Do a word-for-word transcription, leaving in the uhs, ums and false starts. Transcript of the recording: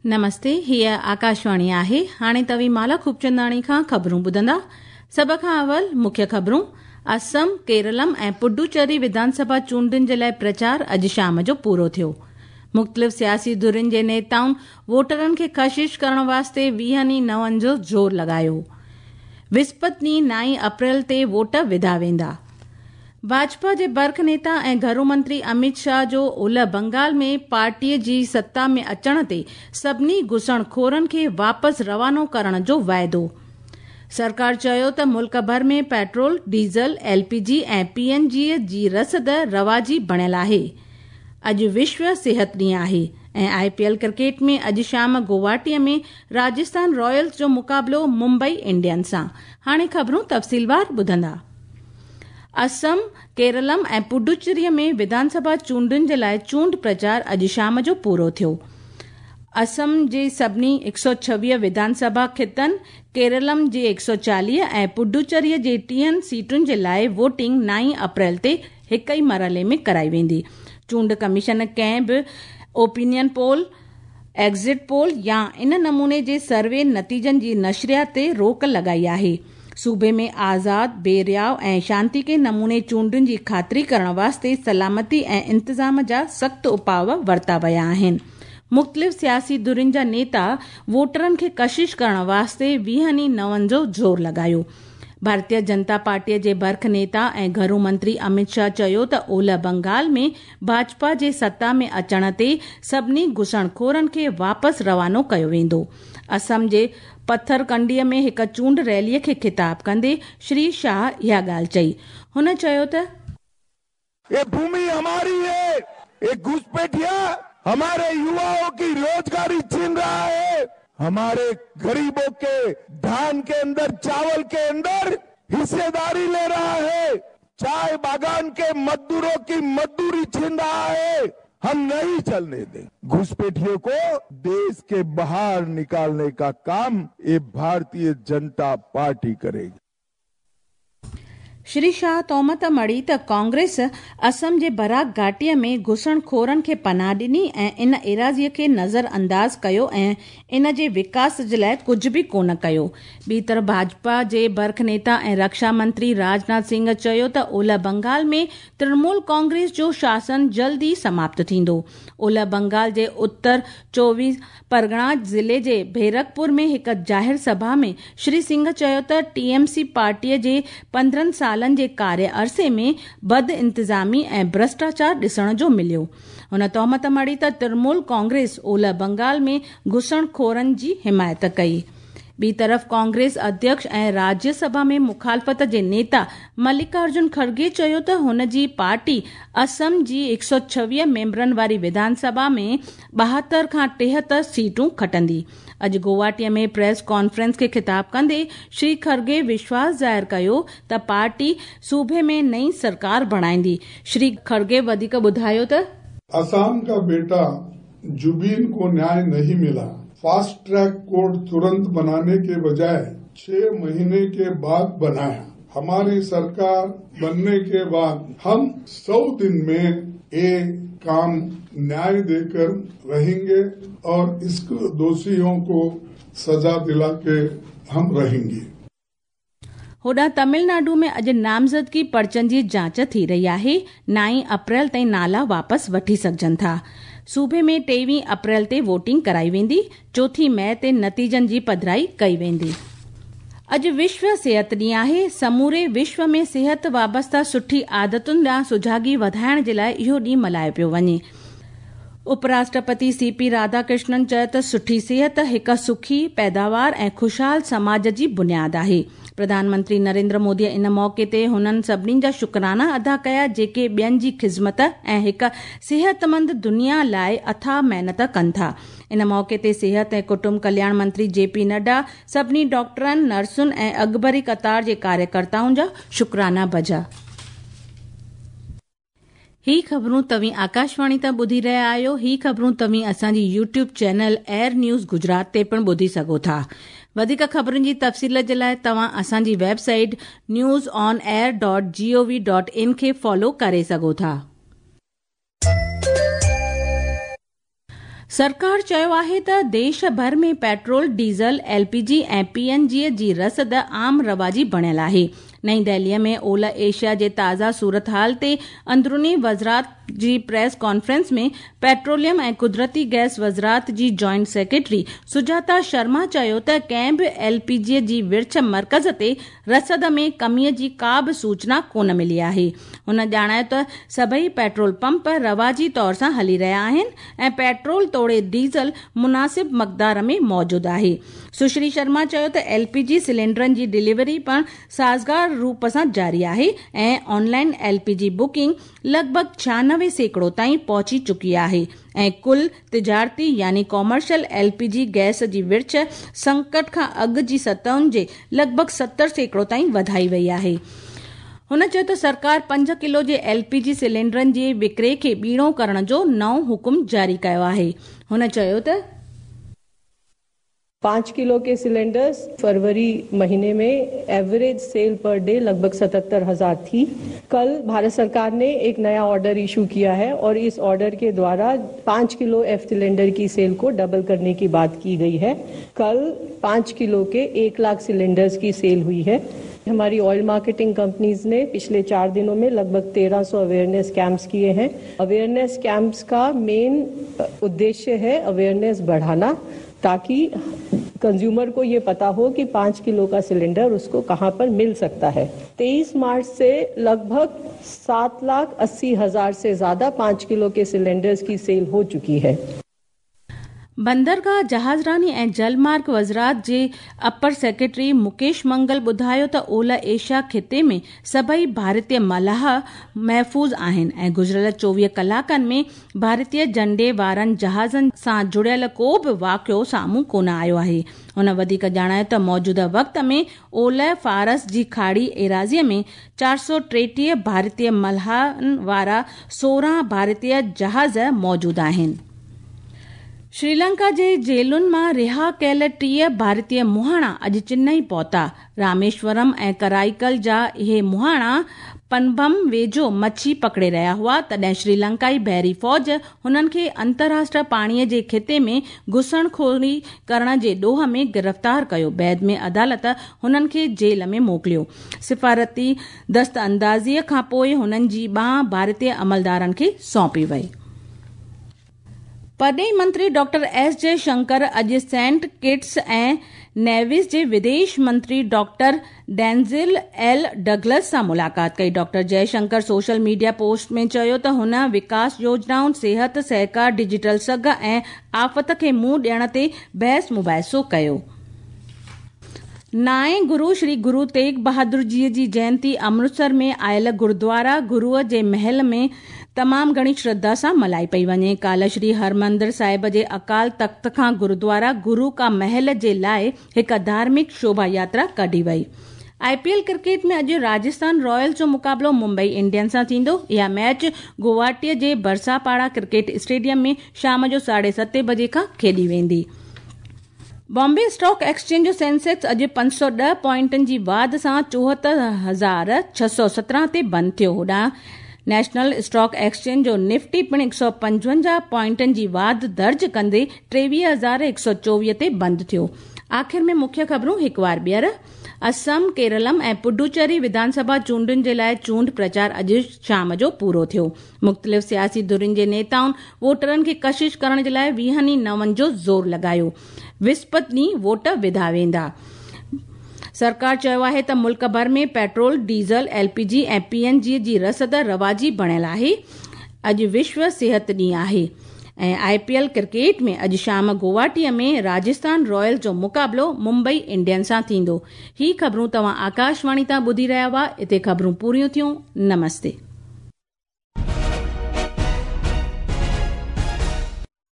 नमस्ते, हीअ आकाशवाणी आहे। हाणे तव्हीं माला खूबचंदाणी खां ख़बरूं ॿुधंदा। सभ खां अवल मुख्य ख़बरूं। असम, केरलम ऐं पुडुचेरी विधानसभा चूंडुनि जे लाइ प्रचार अॼु शाम जो पूरो थियो। मुख़्तलिफ़ सियासी धुरियुनि जे नेताउनि वोटरनि खे कशिश करण वास्ते वीहनि नवनि जो ज़ोर लॻायो। विस्पति ॾींहुं नाई अप्रैल ते वोट विधा वेंदा। भाजपा जे बर्ख नेता ऐं घरू मंत्री अमित शाह जो ओलह बंगाल में पार्टीअ जी सत्ता में अचण ते सभिनी घुसणखोरनि खे वापसि रवानो करण जो वाइदो। सरकार चयो त मुल्क भर में पेट्रोल, डीजल, एलपीजी ऐं पीएनजी जी रसद रवाजी बणियल आहे। अॼु विश्व सिहत ॾींहुं आहे ऐं आईपीएल क्रिकेट में अॼु शाम गुवाहाटीअ में राजस्थान रॉयल्स जो मुक़ाबिलो मुंबई इंडियंस सां। हाणे ख़बरूं तफ़सीलवार ॿुधंदा। असम, केरलम ऐं पुडुचेरीअ में विधानसभा चूंडुनि जे लाइ चूंड प्रचार अॼु शाम जो पूरो थियो। असम जे सभिनी हिकु सौ छवीह विधानसभा ख़ितनि, केरलम जे हिकु सौ चालीह ऐं पुडुचेरीअ जे टीहनि सीटुनि जे लाइ वोटिंग नाई अप्रैल ते हिकु ई मरहले में कराई वेंदी। चूंड कमीशन कंहिं बि ओपिनियन पोल, एग्ज़िट पोल या इन नमूने जे सर्वे नतीजनि जी नशरियात ते रोक लॻाई आहे। सूबे में आज़ाद, बेरियाव ऐं शांति के नमूने चूंडुनि जी ख़ातिरी करण वास्ते सलामती ऐं इंतज़ाम जा सख़्तु उपाव वरिता विया आहिनि। मुख़्तलिफ़ सियासी धुरियुनि जा नेता वोटरनि खे कशिश करण वास्ते वीहनि नवनि जो ज़ोर लॻायो। भारतीय जनता पार्टीअ जे बर्ख नेता ऐं घरू मंत्री अमित शाह चयो त ओलह बंगाल में भाजपा जे सत्ता में अचण ते सभिनी घुसणखोरनि खे वापसि रवानो कयो वेंदो। असम जे पथरकंडीअ में हिकु चूंड रैलीअ खे ख़िताब कंदे श्री शाह इहा ॻाल्हि चई। हुन चयो त ये भूमि हमारी है, ये घुसपैठिया हमारे युवाओं की रोजगारी छीन रहा है, हमारे गरीबों के धान के अंदर, चावल के अंदर हिस्सेदारी ले रहा है, चाय बागान के मजदूरों की मजदूरी छीन रहा है। हम नहीं चलने दें। घुसपैठियों को देश के बाहर निकालने का काम ये भारतीय जनता पार्टी करेगी। श्री शाह तोहमत मढ़ी त कांग्रेस असम जे बराक घाटीअ में घुसणखोरनि खे पनाह ॾिनी ऐं इन एराज़ीअ खे नज़रअंदाज़ कयो ऐं इन जे विकास जे लाइ कुझु बि कोन कयो। ॿी तरफ़ भाजपा जे बर्ख नेता ऐं रक्षा मंत्री राजनाथ सिंह चयो त ओलह बंगाल में तृणमूल कांग्रेस जो शासन जल्द ई समाप्त थींदो। ओलह बंगाल जे उत्तर चोवीह परगणा ज़िले जे बैरकपुर में हिकु ज़ाहिर सभा में श्री सिंह चयो त टीएमसी पार्टीअ जे पंद्रहं सालनि जे कार्य अरसे में बद इंतज़ामी ऐं भ्रष्टाचार ॾिसण जो मिलियो। हुन तोहमत मढ़ी त तृणमूल कांग्रेस ओलह बंगाल में घुसणखोरनि जी हिमायत कई। ॿी तरफ़ कांग्रेस अध्यक्ष ऐं राज्यसभा में मुखालफ़त जे नेता मल्लिकार्जुन खड़गे चयो त हुन जी पार्टी असम जी हिकु सौ छवीह मेंबरनि वारी विधानसभा में ॿाहतरि खां टेहतरि सीटूं खटंदी। अॼु गुवाहाटीअ में प्रेस कॉन्फ्रेंस खे ख़िताब कंदे श्री खड़गे विश्वास ज़ाहिर कयो त पार्टी सूबे में नई सरकार बणाईंदी। श्री खड़गे वधीक ॿुधायो त असम का बेटा जुबीन को न्याय नहीं मिला, फास्ट ट्रैक कोर्ट तुरंत बनाने के बजाय छह महीने के बाद बनाया। हमारी सरकार बनने के बाद हम सौ दिन में ये काम न्याय देकर रहेंगे और इसको दोषियों को सजा दिला के हम रहेंगे। होॾां तमिलनाडु में अॼु नामज़दगी पर्चनि जी जांच थी रही आहे। नाई अप्रैल ताईं नाला वापसि वठी सघजनि था। सूबे में टेवीह अप्रैल ते वोटिंग कराई वेंदी। चोथीं मई ते नतीजनि जी पधराई कई वेंदी। अॼु विश्व सिहत ॾींहुं आहे। समूरे विश्व में सिहत वाबस्ता सुठी आदतुनि ॾांहुं सुझागी वधाइण जे लाइ इहो ॾींहुं मल्हायो पियो वञे। उपराष्ट्रपति सीपी राधाकृष्णन चयो त सुठी सिहत हिकु सुखी, पैदावार ऐं ख़ुशहाल समाज जी बुनियाद आहे। प्रधानमंत्री नरेंद्र मोदीअ इन मौक़े ते हुननि सभिनी जा शुक्राना अदा कया जेके ॿियनि जी ख़िज़मत ऐं हिकु सिहतमंद दुनिया लाइ अथाह महिनत कनि था। इन मौक़े ते सिहत ऐं कुटुंब कल्याण मंत्री जेपी नड्डा सभिनी डॉक्टरनि, नर्सुनि ऐं अॻिभरी कतार जे कार्यकर्ताउनि जा शुक्राना बजा। ही ख़बरूं तव्हीं आकाशवाणी तां ॿुधी रहिया आहियो। ही ख़बरूं तव्हीं असांजी YouTube channel AIR news Gujarat ते पिणु ॿुधी सघो था। वधीक ख़बरुनि जी तफ़सील जे लाइ तव्हां असांजी website news on air dot G O V dot in खे फॉलो करे सघो था। सरकार चयो आहे त देश भर में petrol, diesel, L P G ऐं पी एन जी जी रसद आम रवाजी बणियल आहे। नई दिल्लीअ में ओलह एशिया जे ताज़ा सूरत हाल ते अंदरूनी वज़ारत जी प्रेस कॉन्फ्रेंस में पेट्रोलियम ऐं कुदरती गैस वज़ारत जी जॉइंट सेक्रेटरी सुजाता शर्मा चयो त कंहिं बि एल पी जी जी विर्छ मर्कज़ ते रसद में कमीअ जी का बि सूचना कोन मिली आहे। हुन ॼाणायो त सभई पेट्रोल पंप रवाजी तौर सां हली रहिया आहिनि ऐं पेट्रोल तोड़े डीज़ल मुनासिब मक़दार में मौजूद आहे। सुश्री शर्मा चयो त एल पी जी सिलेंडरनि जी डिलीवरी पिणु साज़गार रूप सां जारी आहे ऐं ऑनलाइन एल पी जी बुकिंग लॻभॻि छियानवे सैकड़ो ताईं पहुची चुकी आहे ऐं कुल तिजारती यानी commercial L P G gas जी विर्छ संकट खां अॻु जी सतहुनि जे लॻभॻि सत्तर सैकड़ो ताईं वधाई वई आहे। हुन चयो त सरकार पंज किलो जे एल पी जी सिलेंडरनि जे विकिरे खे ॿीणो करण जो नओं हुकुम जारी कयो आहे। हुन चयो त पाँच किलो के सिलेंडर्स फरवरी महीने में एवरेज सेल पर डे लगभग सतहत्तर हजार थी। कल भारत सरकार ने एक नया ऑर्डर इशू किया है और इस ऑर्डर के द्वारा पाँच किलो एफ सिलेंडर की सेल को डबल करने की बात की गई है। कल पाँच किलो के एक लाख सिलेंडर्स की सेल हुई है। हमारी ऑयल मार्केटिंग कंपनीज ने पिछले चार दिनों में लगभग तेरह सौ अवेयरनेस कैंप्स किए हैं। अवेयरनेस कैंप्स का मेन उद्देश्य है अवेयरनेस बढ़ाना, ताकि कंज्यूमर को ये पता हो कि पाँच किलो का सिलेंडर उसको कहाँ पर मिल सकता है। तेईस मार्च से लगभग सात लाख अस्सी हजार से ज्यादा पाँच किलो के सिलेंडर्स की सेल हो चुकी है। बंदरगाह जहाज़रानी ऐं जलमार्ग वज़ारत जे अपर सेक्रेटरी मुकेश मंगल ॿुधायो त ओलह एशिया ख़िते में सभई भारतीय मलाह महफ़ूज़ आहिनि ऐं गुज़िरियल चोवीह कलाकनि में भारतीय झंडे वारनि जहाज़नि सां जुड़ियल को बि वाक़ियो साम्हूं कोन आयो आहे। हुन वधीक ॼाणायो त मौजूदा वक़्त में ओलह फ़ारस जी खाड़ी एराज़ीअ में चारि सौ टेटीह भारतीय मलाहनि वारा सोरहं भारतीय जहाज़ मौजूद आहिनि। श्रीलंका जे जेलुनि मां रिहा कयल टीह भारतीय मुहाणा अॼु चेन्नई पहुता। रामेश्वरम ऐं कराईकल जा इहे मुहाणा पनबम वेझो मच्छी पकड़े रहिया हुआ, तॾहिं श्रीलंकाई बहरी फ़ौज हुननि खे अंतर्राष्ट्रीय पाणीअ जे ख़िते में घुसणखोरी करण जे ॾोह में गिरफ़्तार कयो। बाद में अदालत हुननि खे जेल में मोकिलियो। सिफ़ारती दस्त अंदाज़ीअ खां पोइ हुननि जी ॿांह भारतीय अमलदारनि खे सौंपी वई। परॾेही मंत्री डॉक्टर एस जयशंकर अॼु सेंट किट्स ऐं नेविस जे विदेश मंत्री डॉक्टर डेंजिल एल डगलस सां मुलाक़ात कई। Doctor Jaishankar social media post में चयो त हुन विकास योजनाउनि, सिहत सहकार, डिजिटल सघ ऐं आफ़त खे मुंहुं ॾियण ते बहस मुबाहिसो कयो। नाएं गुरू श्री गुरू तेग बहादुर जी जी जयंती अमृतसर में आयल गुरुद्वारा गुरूअ जे महल में तमाम घणी श्रद्धा सां मल्हाई पई वञे। काल्ह श्री हरमंदिर साहिब जे अकाल तख्त खां गुरुद्वारा गुरू का महल जे लाइ हिकु धार्मिक शोभा यात्रा कढी वई। I P L cricket में अॼु राजस्थान रॉयल्स जो मुक़ाबिलो मुंबई इंडियंस सां थींदो। इहा मैच गुवाहाटीअ जे बरसापाड़ा क्रिकेट स्टेडियम में शाम जो साढे सते बजे खां खेॾी वेंदी। बॉम्बे स्टॉक एक्सचेंज जो सेंसेक्स अॼु पंज सौ ॾह पॉइंटनि जी वाध सां चोहतरि हज़ार छह सौ सत्रहं ते बंदि थियो। होॾां नेशनल स्टॉक एक्सचेंज जो निफ्टी पिणु हिकु सौ पंजवंजाह पॉइंटनि जी वाध दर्ज कंदे टेवीह हज़ार हिकु सौ चोवीह ते बंदि थियो। आख़िर में मुख्य ख़बरूं हिकु वार ॿीहर। असम, केरलम ऐं पुडुचेरी विधानसभा चूंडुनि जे लाइ चूंड प्रचार अॼु शाम जो पूरो थियो। मुख़्तलिफ़ सियासी धुरियुनि जे नेताउनि वोटरनि खे कशिश करण जे लाइ वीहनि नवनि जो ज़ोर लॻायो। विस्पति ॾींहुं वोट विधा वेंदा। सरकार चयो आहे त मुल्क भर में पेट्रोल, डीज़ल, एल पी जी ऐं पी एन जी जी रसद रवाजी बणियल आहे। अॼु विश्व सिहत ॾींहुं आहे ऐं I P L cricket में अॼु शाम गुवाहाटीअ में राजस्थान रॉयल्स जो मुक़ाबिलो मुंबई इंडियंस सां थींदो। ही ख़बरूं तव्हां आकाशवाणी तां ॿुधी रहिया हुआ। हिते ख़बरूं पूरियूं थियूं। नमस्ते।